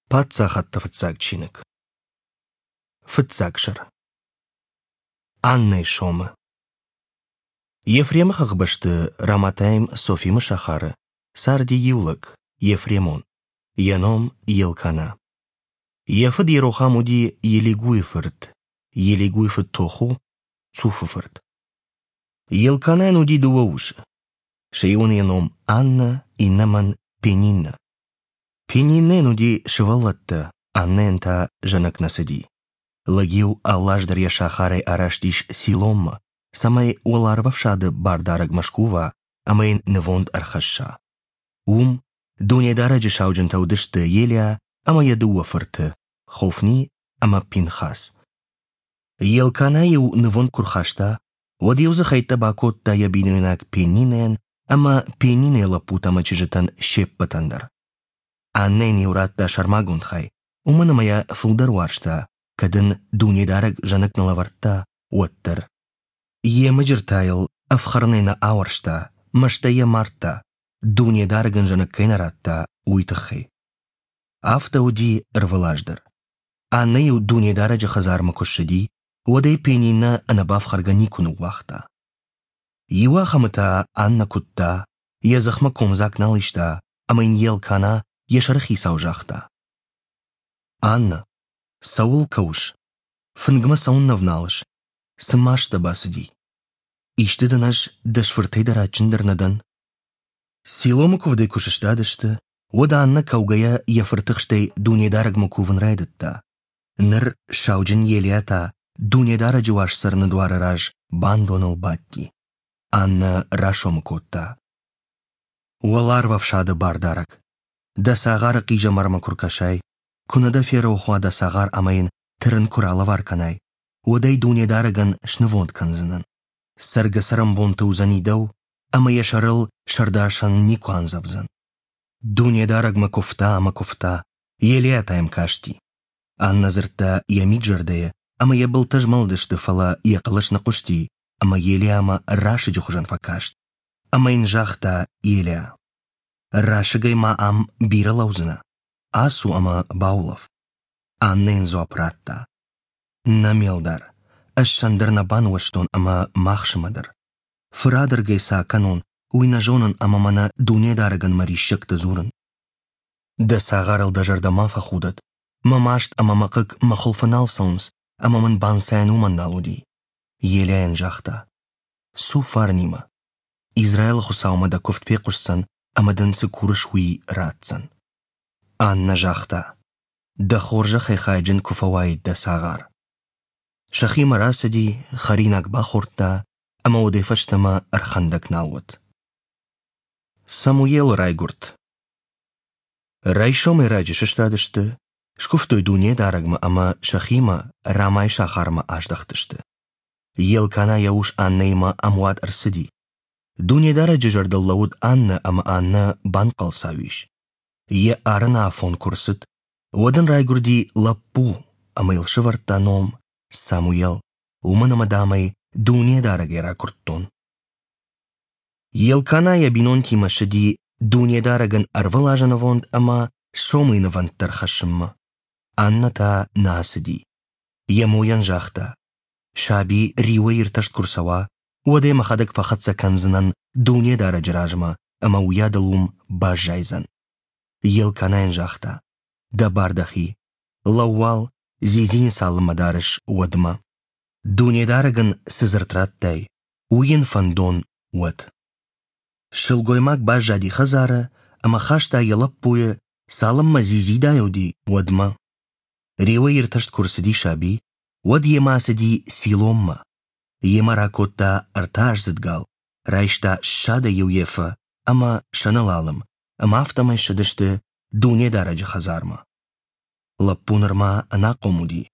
Паддзахӕдты фыццаг чиныг. Фыццаг сӕр. Аннӕйы сомы. Ефремы хӕхбӕсты Раматаим Софимы сахары царди иу лӕг, Ефремон, йӕ ном Елкана. Йӕ фыд Йерохам уыди Елигуйы фырт, Елигуйы фыд Тоху, Цуфы фырт. Елканайӕн уыди дыууӕ усы. Сӕ иуӕн йӕ ном Аннӕ, иннӕмӕн Пениннӕ. Пениннӕйӕн уыди сывӕллӕттӕ, Аннӕйӕн та зӕнӕг нӕ цыди. Лӕг-иу алы аз дӕр йӕ сахарӕй араст ис Силоммӕ, цӕмӕй уӕларвӕфсады бардарӕгмӕ скува ӕмӕ йын нывонд ӕрхӕсса. Уым Дунедарӕджы сауджынтӕ уыдысты Елиа ӕмӕ йӕ дыууӕ фырты, Хофни ӕмӕ Пинхас. Елкана-иу нывонд куы рхаста, уӕд-иу дзы хӕйттӕ бакодта йӕ бинойнаг Пенинӕйӕн ӕмӕ Пенинӕйы лӕппутӕ ӕмӕ чызджытӕн се ппӕтӕн дӕр. Аннӕйӕн-иу радта сӕрмагонд хай, уымӕн ӕмӕ йӕ фылдӕр уарзта, кӕд ын Дунедарӕг зӕнӕг нӕ лӕвӕрдта, уӕддӕр. Йе мыджыртӕ йыл ӕфхӕрынӕй нӕ ауӕрста, мӕстӕй йӕ мардта, Дунедарӕг ын зӕнӕг кӕй нӕ радта, уый тыххӕй. Афтӕ уыди ӕрвылаз дӕр. Аннӕ-иу Дунедарӕджы хӕдзармӕ куы ссыди, уӕд ӕй Пенинӕ ӕнӕбафхӕргӕ никуы ныууагъта. Иуахӕмы та Аннӕ куыдта, йӕ дзыхмӕ комдзаг нал иста ӕмӕ йын Елкана йӕ сӕрыхицау загъта: «Аннӕ, цӕуыл кӕуыс? Фынгмӕ цӕуыннӕ вналыс? Цы маст дӕ бацыди? Исты дын ӕз дӕ фыртӕй дӕр адджындӕр нӕ дӕн?» Силомы куывдӕй куы сыстадысты, уӕд Аннӕ кӕугӕйӕ йӕ фыртыхстӕй Дунедарӕгмӕ кувын райдыдта. Ныр сауджын Елиа та Дунедарӕджы уаз цӕрыны дуары раз бандоныл бадти. Аннӕ расомы кодта: Уӕларвӕфсады бардарӕг, дӕ цагъары хъизӕмармӕ куы ркӕсай, куы нӕ дӕ ферох уа дӕ цагъар ӕмӕ йын тырын куы ралӕвар кӕнай, уӕд ӕй Дунедарӕгӕн снывонд кӕндзынӕн. Цӕргӕ-цӕрӕнбонты уыдзӕни дӕу, ӕмӕ йӕ сӕрыл сӕрдасӕн никуы андзӕвдзӕн. Дунедарӕгмӕ куывта ӕмӕ куывта, Елиа та йӕм касти. Аннӕ дзырдта йӕ мид-зӕрдӕйы, ӕмӕ йӕ былтӕ змӕлыдысты, фӕлӕ йӕ хъӕлӕс нӕ хъуысти, ӕмӕ Елиамӕ расыджы хуызӕн фӕкаст. Ӕмӕ йын загъта Елиа: «Расыгӕй ма ам бирӕ лӕудзынӕ? Ацу ӕмӕ баулӕф». Аннӕ йын дзуапп радта: «Нӕ, ме лдар, ӕз сӕн дӕр нӕ бануӕзтон ӕмӕ махсымӕ дӕр. Фырадӕргӕй цы акӕнон, уый нӕ зонын ӕмӕ мӕнӕ Дунедарӕгӕн мӕ риссӕгтӕ дзурын. Дӕ цагъарыл дӕ зӕрдӕ ма фӕхудӕд, мӕ маст ӕмӕ мӕ хъыг мӕ хуылфы нал цӕуынц, ӕмӕ мын банцайӕн уымӕн нал уыди. Елиайӕн загъта: Цу фарнимӕ. Израилы Хуыцаумӕ дӕ куывд фехъуысдзӕн ӕмӕ дын цы курыс, уый ратдзӕн. Аннӕ загъта: Дӕ хорзӕхӕй хайджын куы фӕуаид дӕ цагъар. Сӕхимӕ рацыди, хӕринаг бахордта ӕмӕ уӕдӕй фӕстӕмӕ ӕрхӕндӕг нал уыд. Самуелы райгуырд. Райсомӕй раджы сыстадысты, скуывтой Дунедарӕгмӕ ӕмӕ сӕхимӕ Рамайы сахармӕ аздӕхтысты. Елкана йӕ ус Аннӕимӕ ӕмуат ӕрцыди. Дунедарӕджы зӕрдыл лӕууыд Аннӕ ӕмӕ Аннӕ банхъӕлцау ис. Йӕ арыны афон куы рцыд, уӕд ын райгуырди лӕппу ӕмӕ йыл сӕвӕрдта ном Самуел, уымӕн ӕмӕ, дам ӕй Дунедарӕгӕй ракуырдтон. Елкана йӕ бинонтимӕ ссыди Дунедарӕгӕн ӕрвылазы нывонд ӕмӕ сомыйы нывӕндтӕ ӕрхӕссынмӕ. Аннӕ та нӕ ацыди. Йӕ мойӕн загъта: «Саби риуӕй иртӕст куы рцӕуа, уӕд ӕй мӕхӕдӕг фӕхӕццӕ кӕндзынӕн Дунедарӕджы размӕ ӕмӕ уыйадыл уым баззайдзӕн». Елканайӕн загъта: «Дӕ бар дӕхи. Лӕуу уал, дзидзийы цалынмӕ дарыс, уӕдмӕ. Дунедарӕг ын цы дзырд радтай, уый йын фӕндон уӕд». Сылгоймаг баззади хӕдзары ӕмӕ хаста йӕ лӕппуйы, цалынмӕ дзидзидай уыди, уӕдмӕ. Риуӕй иртӕст куы рцыди саби, уӕд йемӕ ацыди Силоммӕ. Йемӕ ракодта ӕртӕаздзыд гал, райста ссадӕй иу ефӕ ӕмӕ сӕнылалым, ӕмӕ афтӕмӕй ссыдысты Дунедарӕджы хӕдзармӕ. Лӕппу нырма ӕнахъом уыди.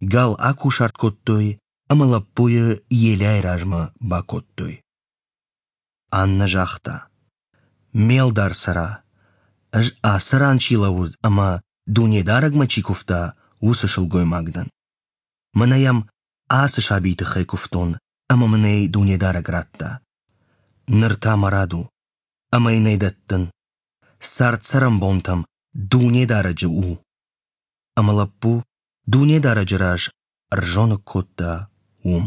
Гал акусарт кодтой ӕмӕ лӕппуйы Елиайы размӕ бакодтой. Аннӕ загъта: «Ме лдар цӕра, ӕз ацы ран чи лӕууыд ӕмӕ Дунедарӕгмӕ чи куывта, уыцы сылгоймаг дӕн. Мӕнӕ йӕм ацы сабийы тыххӕй куывтон, ӕмӕ мын ӕй Дунедарӕг радта. Ныр та мӕ рад у, ӕмӕ йын ӕй дӕттын. Цард-цӕрӕнбонтӕм Дунедарӕджы у». Ӕмӕ лӕппу Дунедарӕджы раз ӕрзоныг кодта уым.